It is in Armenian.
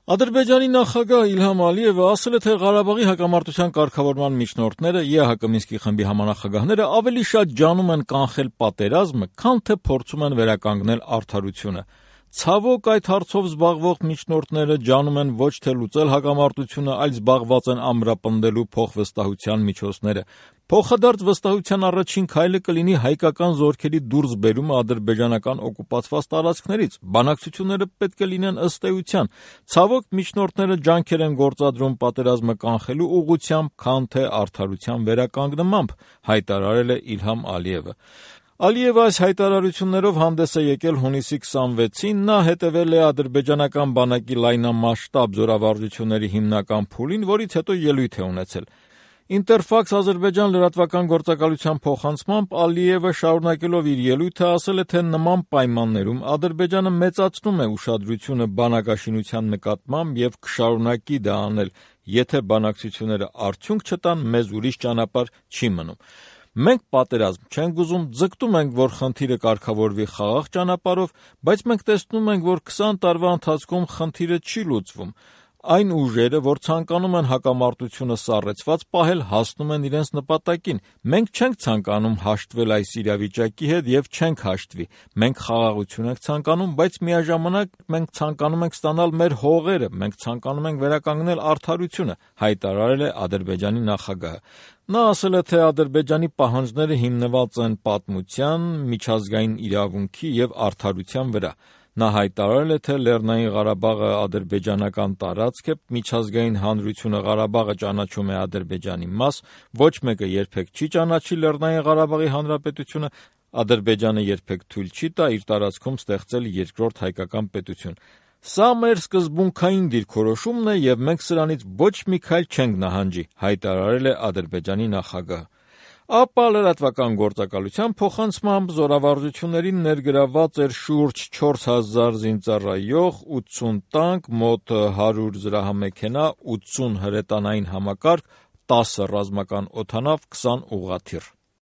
Ադրբեջանի նախագահ Իլհամ Ալիևը ասել է, թե Ղարաբաղի հակամարտության կարգավորման միջնորդները, ԵԱՀԿ Մինսկի խմբի համանախագահները ավելի շատ ջանում են կանխել պատերազմը, քան թե փորձում են վերականգնել արդարությունը։ Ցավոք, այդ հարցով զբաղվող միջնորդները ջանում են ոչ թե լուծել հակամարտությունը, այլ զբաղված են ամրապնդելու փոխվստահության միջոցները։ Փոխադարձ վստահության առաջին քայլը կլինի հայկական զորքերի դուրսբերումը ադրբեջանական օկուպացված տարածքներից։ Բանակցությունները պետք է լինեն ըստ էության։ Ցավոք, միջնորդները ջանքեր են գործադրում պատերազմը կանխելու ուղղությամբ, քան թե արդարության վերականգնմամբ, հայտարարել է Իլհամ Ալիևը։ Ալիևը այս հայտարարություններով հանդես է եկել հունիսի 26-ին, նա հետևել է ադրբեջանական բանակի լայնամասշտաբ զորավարժությունների հիմնական փուլին, որից հետո ելույթ է ունեցել։ Ինտերֆաքս Ադրբեջան լրատվական գործակալության փոխանցմամբ Ալիևը շարունակելով իր ելույթը ասել է, թե նման պայմաններում Ադրբեջանը մեծացնում է ուշադրությունը բանակաշինության նկատմամբ եւ կշարունակի դա անել, եթե բանակցությունները արդյունք չտան, մեզ ուրիշ ճանապարհ չի մնում։ Մենք պատերազմ չենք ուզում, ձգտում ենք, որ խնդիրը կարգավորվի խաղաղ ճանապարհով, բայց մենք տեսնում ենք, որ 20 տարվա ընթացքում խնդիրը չի լուծվում։ Այն ուժերը, որ ցանկանում են հակամարտությունը սառեցված պահել, հասնում են իրենց նպատակին։ Մենք չենք ցանկանում հաշտվել այս իրավիճակի հետ եւ չենք հաշտվի։ Մենք խաղաղություն ենք ցանկանում, բայց միաժամանակ մենք ցանկանում ենք ստանալ մեր հողերը, մենք ցանկանում ենք վերականգնել արդարությունը, հայտարարել է Ադրբեջանի նախագահը։ Նա ասել է, թե Ադրբեջանի պահանջները հիմնված են պատմության, միջազգային իրավունքի եւ արդարության վրա։ Նա հայտարարել է, թե Լեռնային Ղարաբաղը ադրբեջանական տարածք է, միջազգային հանրությունը Ղարաբաղը ճանաչում է Ադրբեջանի մաս, ոչ մեկը երբեք չի ճանաչի Լեռնային Ղարաբաղի հանրապետությունը, Ադրբեջանը երբեք թույլ չի տա իր տարածքում ստեղծել երկրորդ հայկական պետություն։ Սա մեր սկզբունքային դիրքորոշումն է եւ մենք սրանից ոչ մի քայլ չենք նահանջի, հայտարարել է Ադրբեջանի նախագահը։ ԱՊԱ լրատվական գործակալության փոխանցմամբ զորավարժություններին ներգրավված էր շուրջ 4000 զինծառայող, 80 տանկ, մոտ 100 զրահամեքենա, 80 հրետանային համակարգ, 10 ռազմական օդանավ, 20 ուղղաթիռ։